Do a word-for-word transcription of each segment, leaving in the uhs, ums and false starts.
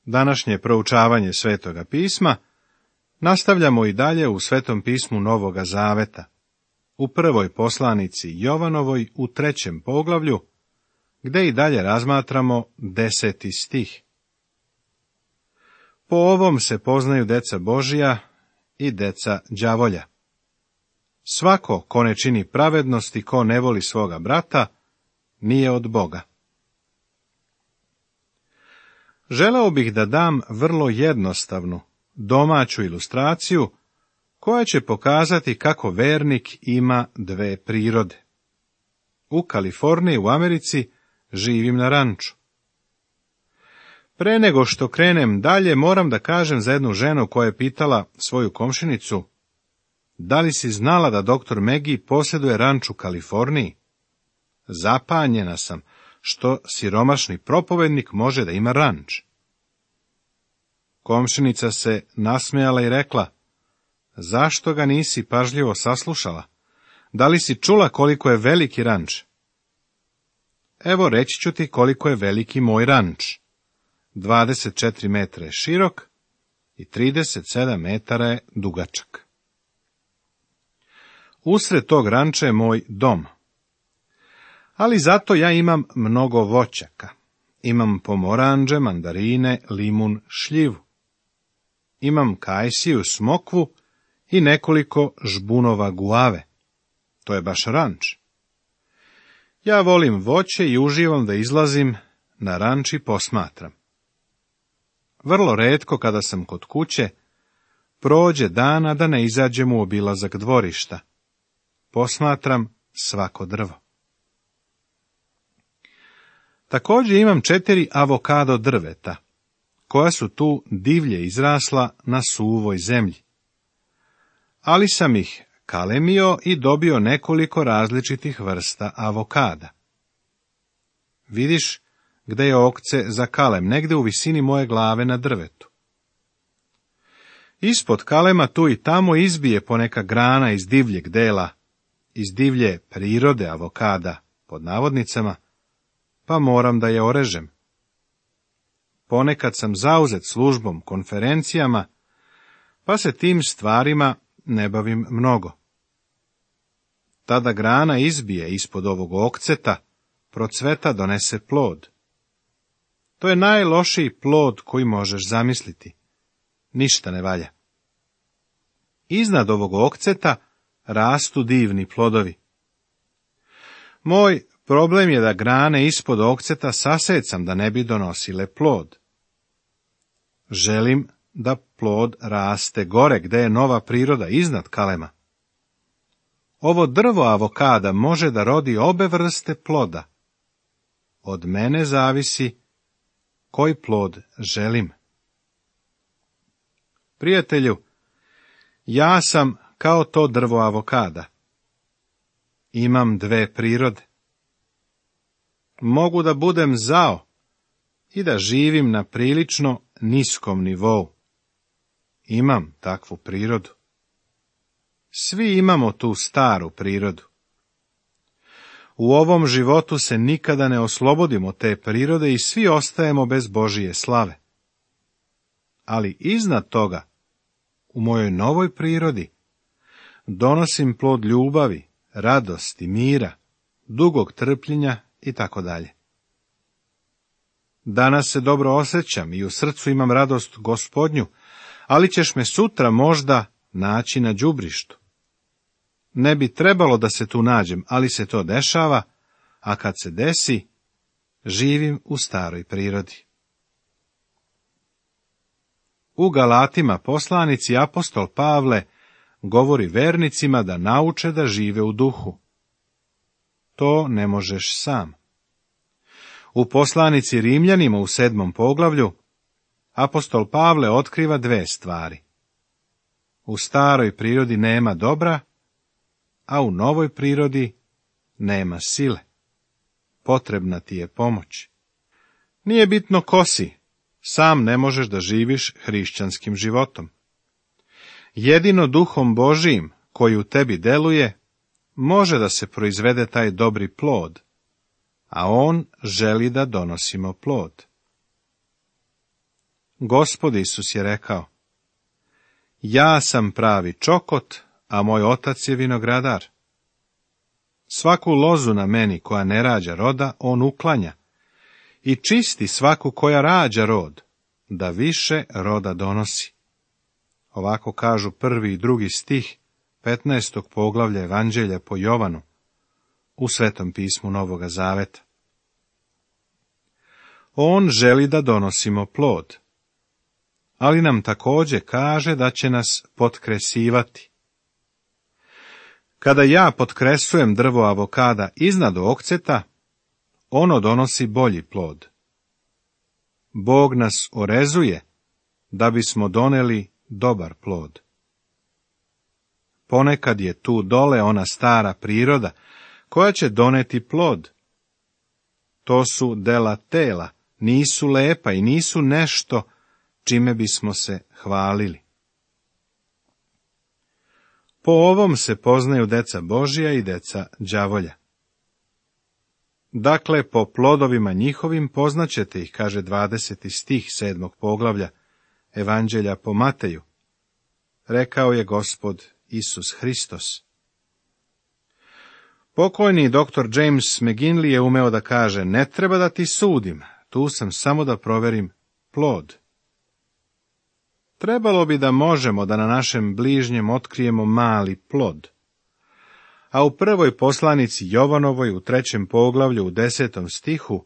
Današnje proučavanje Svetoga pisma nastavljamo i dalje u Svetom pismu Novoga Zaveta, u prvoj poslanici Jovanovoj u trećem poglavlju, gde i dalje razmatramo deseti stih. Po ovom se poznaju deca Božija i deca đavolja. Svako ko ne čini pravednost i ko ne voli svoga brata, nije od Boga. Želeo bih da dam vrlo jednostavnu, domaću ilustraciju, koja će pokazati kako vernik ima dve prirode. U Kaliforniji, u Americi, živim na ranču. Pre nego što krenem dalje, moram da kažem za jednu ženu koja je pitala svoju komšinicu: da li si znala da doktor Megi posjeduje ranč u Kaliforniji? Zapanjena sam što siromašni propovednik može da ima ranč. Komšinica se nasmejala i rekla: zašto ga nisi pažljivo saslušala? Da li si čula koliko je veliki ranč? Evo, reći ću ti koliko je veliki moj ranč. dvadeset četiri metra je širok i trideset sedam metara je dugačak. Usred tog ranča je moj dom. Ali zato ja imam mnogo voćaka. Imam pomoranđe, mandarine, limun, šljivu. Imam kajsiju, smokvu i nekoliko žbunova guave. To je baš ranč. Ja volim voće i uživam da izlazim na ranč i posmatram. Vrlo retko kada sam kod kuće, prođe dana da ne izađem u obilazak dvorišta. Posmatram svako drvo. Također imam četiri avokado drveta, koja su tu divlje izrasla na suvoj zemlji. Ali sam ih kalemio i dobio nekoliko različitih vrsta avokada. Vidiš gde je okce za kalem, negde u visini moje glave na drvetu. Ispod kalema tu i tamo izbije poneka grana iz divljeg dela, iz divlje prirode avokada, pod navodnicama, pa moram da je orežem. Ponekad sam zauzet službom, konferencijama, pa se tim stvarima ne bavim mnogo. Tada grana izbije ispod ovog okceta, procveta, donese plod. To je najlošiji plod koji možeš zamisliti. Ništa ne valja. Iznad ovog okceta rastu divni plodovi. Moj problem je da grane ispod okceta sasecam da ne bi donosile plod. Želim da plod raste gore gde je nova priroda iznad kalema. Ovo drvo avokada može da rodi obe vrste ploda. Od mene zavisi koji plod želim. Prijatelju, ja sam kao to drvo avokada. Imam dve prirode. Mogu da budem zao i da živim na prilično niskom nivou. Imam takvu prirodu. Svi imamo tu staru prirodu. U ovom životu se nikada ne oslobodimo te prirode i svi ostajemo bez Božije slave. Ali iznad toga, u mojoj novoj prirodi, donosim plod ljubavi, radosti, mira, dugog trpljenja i tako dalje. Danas se dobro osjećam i u srcu imam radost Gospodnju, ali ćeš me sutra možda naći na đubrištu. Ne bi trebalo da se tu nađem, ali se to dešava, a kad se desi, živim u staroj prirodi. U Galatima poslanici apostol Pavle govori vernicima da nauče da žive u duhu. To ne možeš sam. U poslanici Rimljanima u sedmom poglavlju apostol Pavle otkriva dve stvari. U staroj prirodi nema dobra, a u novoj prirodi nema sile. Potrebna ti je pomoć. Nije bitno ko si, sam ne možeš da živiš hrišćanskim životom. Jedino duhom Božijim koji u tebi deluje, može da se proizvede taj dobri plod, a on želi da donosimo plod. Gospod Isus je rekao: ja sam pravi čokot, a moj otac je vinogradar. Svaku lozu na meni koja ne rađa roda, on uklanja, i čisti svaku koja rađa rod, da više roda donosi. Ovako kažu prvi i drugi stih petnaestog poglavlja Evanđelja po Jovanu u Svetom pismu Novoga Zaveta. On želi da donosimo plod, ali nam također kaže da će nas potkresivati. Kada ja potkresujem drvo avokada iznad okceta, ono donosi bolji plod. Bog nas orezuje da bismo doneli dobar plod. Ponekad je tu dole ona stara priroda koja će doneti plod. To su dela tela, nisu lepa i nisu nešto čime bismo se hvalili. Po ovom se poznaju deca Božija i deca đavolja. Dakle, po plodovima njihovim poznaćete ih, kaže dvadeseti stih sedmog poglavlja Evanđelja po Mateju. Rekao je Gospod Isus Hristos. Pokojni doktor James McGinley je umeo da kaže: ne treba da ti sudim, tu sam samo da proverim plod. Trebalo bi da možemo da na našem bližnjem otkrijemo mali plod. A u prvoj poslanici Jovanovoj u trećem poglavlju u desetom stihu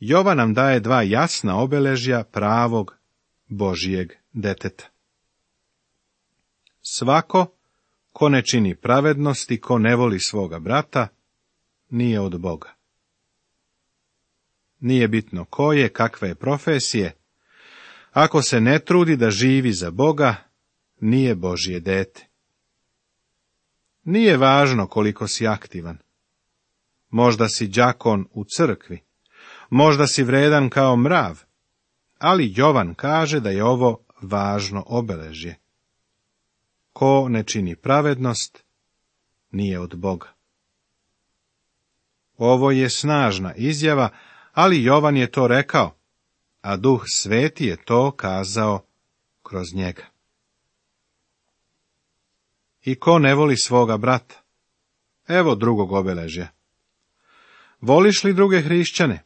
Jovan nam daje dva jasna obeležja pravog Božijeg deteta. Svako ko ne čini pravednost i ko ne voli svoga brata, nije od Boga. Nije bitno ko je, kakve je profesije, ako se ne trudi da živi za Boga, nije Božje dete. Nije važno koliko si aktivan. Možda si đakon u crkvi, možda si vredan kao mrav, ali Jovan kaže da je ovo važno obeležje. Ko ne čini pravednost, nije od Boga. Ovo je snažna izjava, ali Jovan je to rekao, a Duh Sveti je to kazao kroz njega. I ko ne voli svoga brata? Evo drugog obeležja. Voliš li druge hrišćane?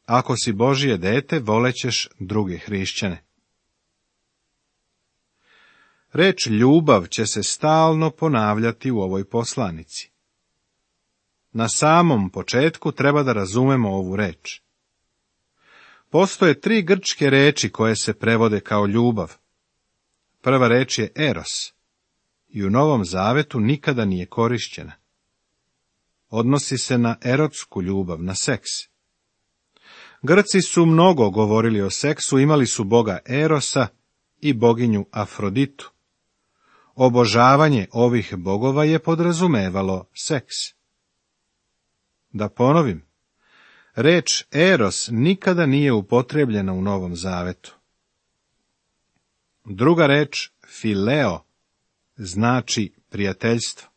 Ako si Božje dete, volećeš druge hrišćane. Reč ljubav će se stalno ponavljati u ovoj poslanici. Na samom početku treba da razumemo ovu reč. Postoje tri grčke reči koje se prevode kao ljubav. Prva reč je eros i u Novom Zavetu nikada nije korišćena. Odnosi se na erotsku ljubav, na seks. Grci su mnogo govorili o seksu, imali su boga Erosa i boginju Afroditu. Obožavanje ovih bogova je podrazumevalo seks. Da ponovim, reč eros nikada nije upotrebljena u Novom Zavetu. Druga reč, fileo, znači prijateljstvo.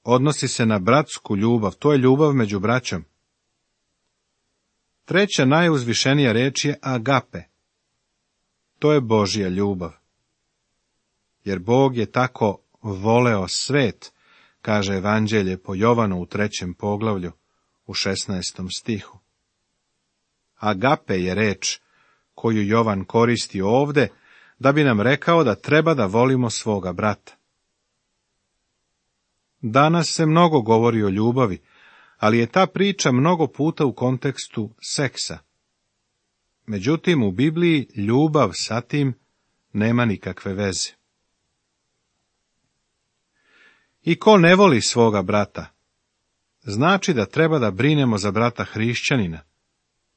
Odnosi se na bratsku ljubav, to je ljubav među braćom. Treća najuzvišenija reč je agape. To je Božja ljubav. Jer Bog je tako voleo svet, kaže Evanđelje po Jovanu u trećem poglavlju, u šesnaestom stihu. Agape je reč koju Jovan koristi ovde, da bi nam rekao da treba da volimo svoga brata. Danas se mnogo govori o ljubavi, ali je ta priča mnogo puta u kontekstu seksa. Međutim, u Bibliji ljubav sa tim nema nikakve veze. I ko ne voli svoga brata, znači da treba da brinemo za brata hrišćanina,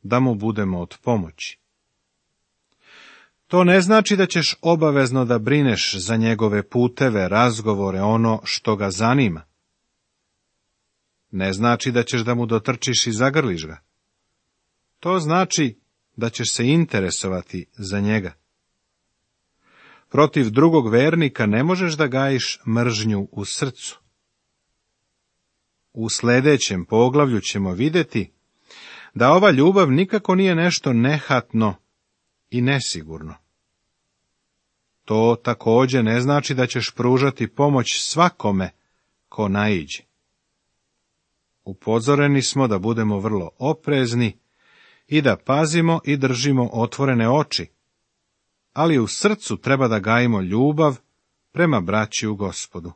da mu budemo od pomoći. To ne znači da ćeš obavezno da brineš za njegove puteve, razgovore, ono što ga zanima. Ne znači da ćeš da mu dotrčiš i zagrliš ga. To znači da ćeš se interesovati za njega. Protiv drugog vernika ne možeš da gajiš mržnju u srcu. U sljedećem poglavlju ćemo vidjeti da ova ljubav nikako nije nešto nehatno i nesigurno. To također ne znači da ćeš pružati pomoć svakome ko naiđe. Upozoreni smo da budemo vrlo oprezni i da pazimo i držimo otvorene oči, ali u srcu treba da gajimo ljubav prema braći u Gospodu.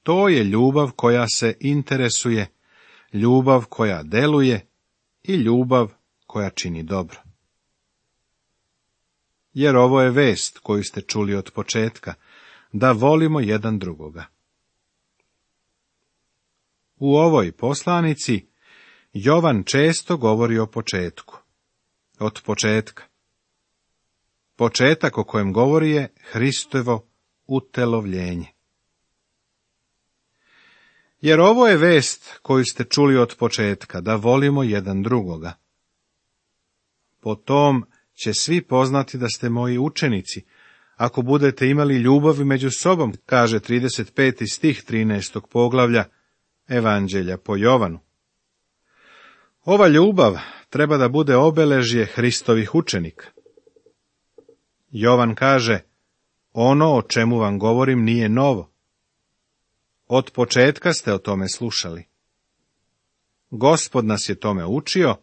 To je ljubav koja se interesuje, ljubav koja deluje i ljubav koja čini dobro. Jer ovo je vest koju ste čuli od početka, da volimo jedan drugoga. U ovoj poslanici Jovan često govori o početku. Od početka. Početak o kojem govori je Hristovo utelovljenje. Jer ovo je vest koju ste čuli od početka, da volimo jedan drugoga. Po tom će svi poznati da ste moji učenici, ako budete imali ljubav među sobom, kaže trideset peti stih trinaestog poglavlja Evanđelja po Jovanu. Ova ljubav treba da bude obeležje Hristovih učenika. Jovan kaže, ono o čemu vam govorim nije novo. Od početka ste o tome slušali. Gospod nas je tome učio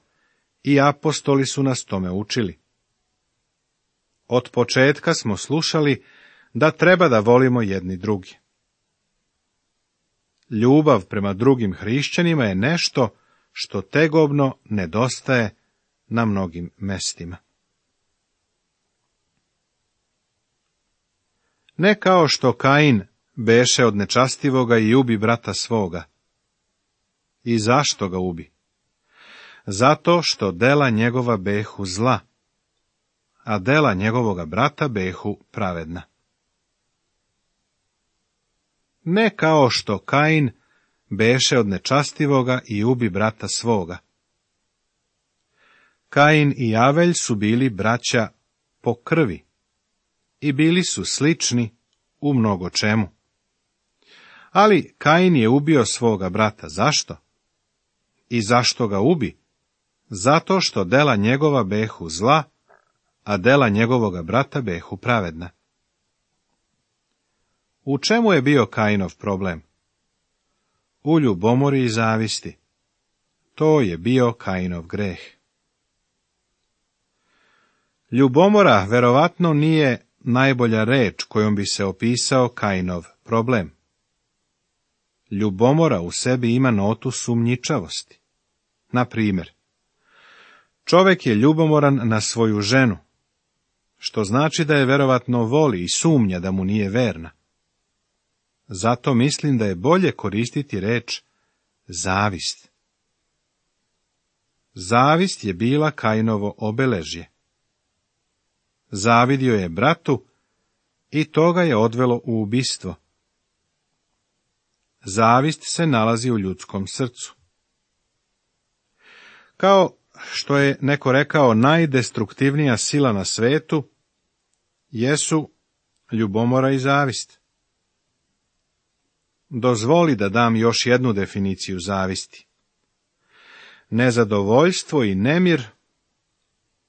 i apostoli su nas tome učili. Od početka smo slušali da treba da volimo jedni drugi. Ljubav prema drugim hrišćanima je nešto što tegobno nedostaje na mnogim mestima. Ne kao što Kain beše od nečastivoga i ubi brata svoga. I zašto ga ubi? Zato što dela njegova behu zla, a dela njegovoga brata behu pravedna. Ne kao što Kain beše od nečastivoga i ubi brata svoga. Kain i Avelj su bili braća po krvi i bili su slični u mnogo čemu. Ali Kain je ubio svoga brata. Zašto? I zašto ga ubi? Zato što dela njegova behu zla, a dela njegovoga brata behu pravedna. U čemu je bio Kainov problem? U ljubomori i zavisti. To je bio Kainov greh. Ljubomora verovatno nije najbolja reč kojom bi se opisao Kainov problem. Ljubomora u sebi ima notu sumnjičavosti. Na primjer, čovjek je ljubomoran na svoju ženu, što znači da je verovatno voli i sumnja da mu nije verna. Zato mislim da je bolje koristiti reč zavist. Zavist je bila Kainovo obeležje. Zavidio je bratu i to ga je odvelo u ubistvo. Zavist se nalazi u ljudskom srcu. Kao što je neko rekao, najdestruktivnija sila na svetu jesu ljubomora i zavist. Dozvoli da dam još jednu definiciju zavisti. Nezadovoljstvo i nemir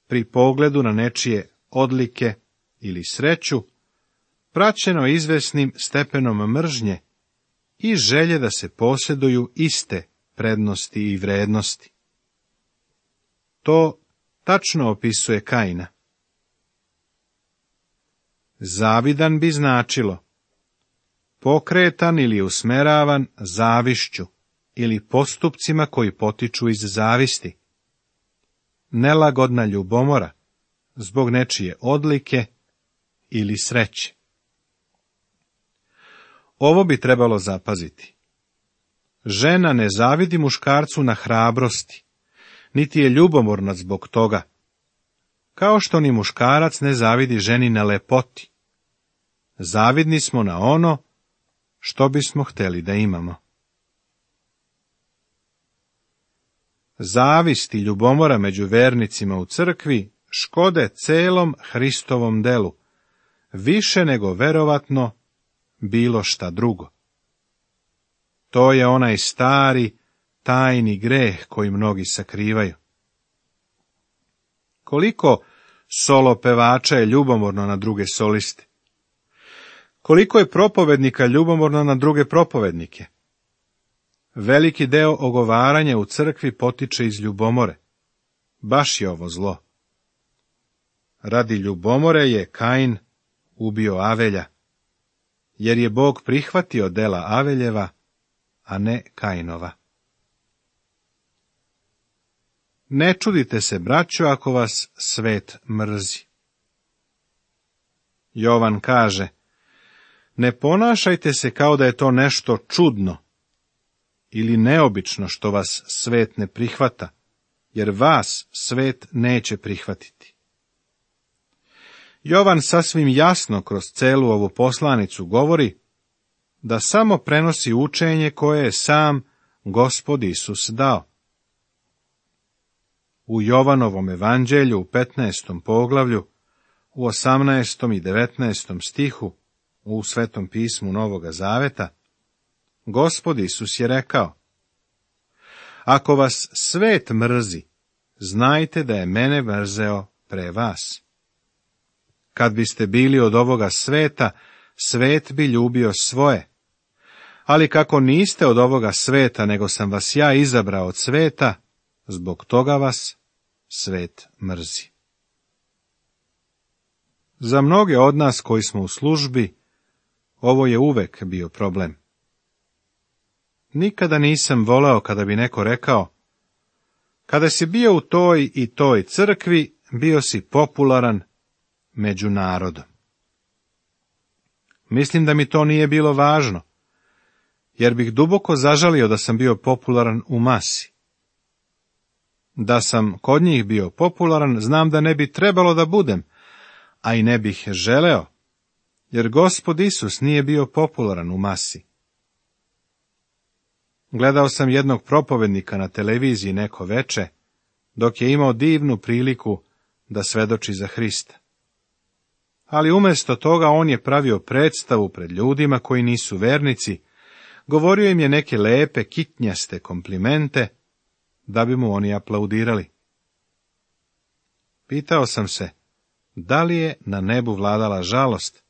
pri pogledu na nečije odlike ili sreću, praćeno izvesnim stepenom mržnje i želje da se posjeduju iste prednosti i vrednosti. To tačno opisuje Kaina. Zavidan bi značilo pokretan ili usmeravan zavišću ili postupcima koji potiču iz zavisti. Nelagodna ljubomora zbog nečije odlike ili sreće. Ovo bi trebalo zapaziti. Žena ne zavidi muškarcu na hrabrosti, niti je ljubomorna zbog toga, kao što ni muškarac ne zavidi ženi na lepoti. Zavidni smo na ono što bismo htjeli da imamo. Zavist i ljubomora među vernicima u crkvi škode celom Hristovom delu, više nego verovatno bilo šta drugo. To je onaj stari, tajni greh koji mnogi sakrivaju. Koliko solo pevača je ljubomorno na druge soliste? Koliko je propovednika ljubomorno na druge propovednike? Veliki deo ogovaranja u crkvi potiče iz ljubomore. Baš je ovo zlo. Radi ljubomore je Kain ubio Avelja, jer je Bog prihvatio dela Aveljeva, a ne Kainova. Ne čudite se, braćo, ako vas svet mrzi. Jovan kaže, ne ponašajte se kao da je to nešto čudno ili neobično što vas svet ne prihvata, jer vas svet neće prihvatiti. Jovan sasvim jasno kroz celu ovu poslanicu govori da samo prenosi učenje koje je sam Gospod Isus dao. U Jovanovom evanđelju u petnaestom poglavlju, u osamnaestom i devetnaestom stihu, u Svetom pismu Novoga Zaveta, Gospod Isus je rekao, ako vas svet mrzi, znajte da je mene mrzeo pre vas. Kad biste bili od ovoga sveta, svet bi ljubio svoje. Ali kako niste od ovoga sveta, nego sam vas ja izabrao od sveta, zbog toga vas svet mrzi. Za mnoge od nas koji smo u službi, ovo je uvek bio problem. Nikada nisam voleo kada bi neko rekao, kada si bio u toj i toj crkvi, bio si popularan među narodom. Mislim da mi to nije bilo važno, jer bih duboko zažalio da sam bio popularan u masi. Da sam kod njih bio popularan, znam da ne bi trebalo da budem, a i ne bih želeo, jer Gospod Isus nije bio popularan u masi. Gledao sam jednog propovednika na televiziji neko veče, dok je imao divnu priliku da svedoči za Hrista. Ali umjesto toga on je pravio predstavu pred ljudima koji nisu vernici, govorio im je neke lepe, kitnjaste komplimente, da bi mu oni aplaudirali. Pitao sam se, da li je na nebu vladala žalost,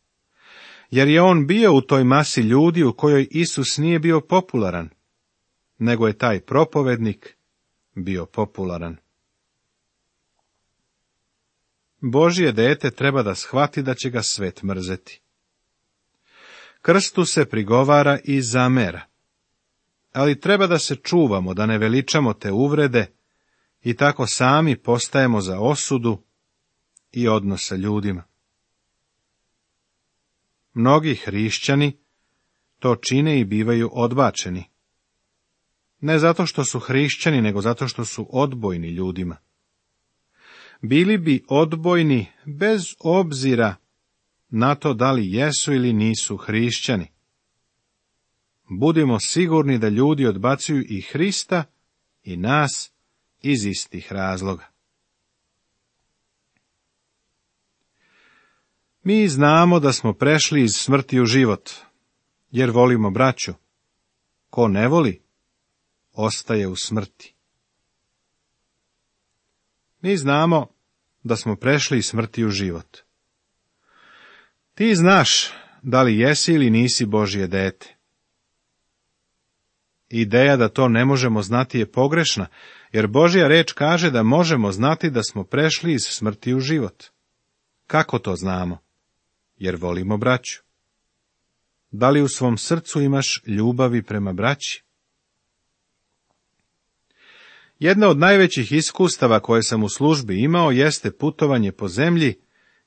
jer je on bio u toj masi ljudi u kojoj Isus nije bio popularan, nego je taj propovednik bio popularan. Božje dete treba da shvati da će ga svet mrzeti. Krstu se prigovara i zamera, ali treba da se čuvamo, da ne veličamo te uvrede i tako sami postajemo za osudu i odnos sa ljudima. Mnogi hrišćani to čine i bivaju odbačeni. Ne zato što su hrišćani, nego zato što su odbojni ljudima. Bili bi odbojni bez obzira na to da li jesu ili nisu hrišćani. Budimo sigurni da ljudi odbacuju i Hrista i nas iz istih razloga. Mi znamo da smo prešli iz smrti u život, jer volimo braću. Ko ne voli, ostaje u smrti. Mi znamo da smo prešli iz smrti u život. Ti znaš da li jesi ili nisi Božje dete. Ideja da to ne možemo znati je pogrešna, jer Božja reč kaže da možemo znati da smo prešli iz smrti u život. Kako to znamo? Jer volimo braću. Da li u svom srcu imaš ljubavi prema braći? Jedna od najvećih iskustava koje sam u službi imao jeste putovanje po zemlji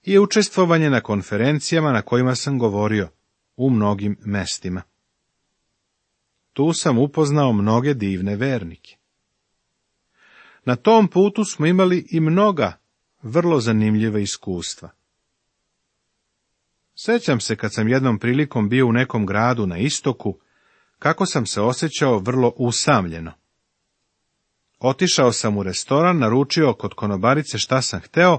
i učestvovanje na konferencijama na kojima sam govorio u mnogim mestima. Tu sam upoznao mnoge divne vernike. Na tom putu smo imali i mnoga vrlo zanimljiva iskustva. Sećam se kad sam jednom prilikom bio u nekom gradu na istoku, kako sam se osjećao vrlo usamljeno. Otišao sam u restoran, naručio kod konobarice šta sam hteo,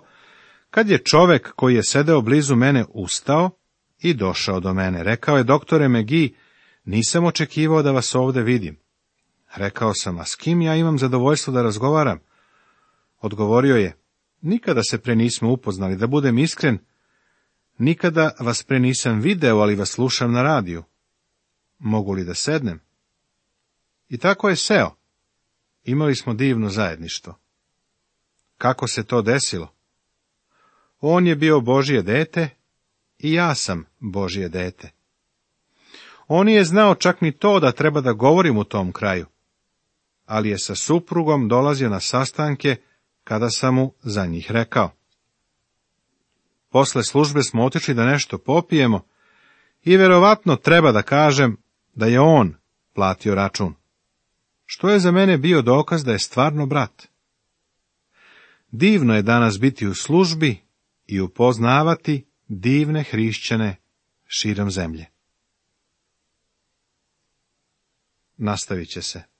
kad je čovek koji je sedeo blizu mene ustao i došao do mene. Rekao je, doktore McGee, nisam očekivao da vas ovde vidim. Rekao sam, a s kim ja imam zadovoljstvo da razgovaram? Odgovorio je, Nikada se pre nismo upoznali, da budem iskren, nikada vas pre nisam video, ali vas slušam na radiju. Mogu li da sednem? I tako je seo. Imali smo divno zajedništvo. Kako se to desilo? On je bio Božje dete i ja sam Božje dete. On nije znao čak ni to da treba da govorim u tom kraju, ali je sa suprugom dolazio na sastanke kada sam mu za njih rekao. Posle službe smo otišli da nešto popijemo i verovatno treba da kažem da je on platio račun, što je za mene bio dokaz da je stvarno brat. Divno je danas biti u službi i upoznavati divne hrišćane širom zemlje. Nastavit će se.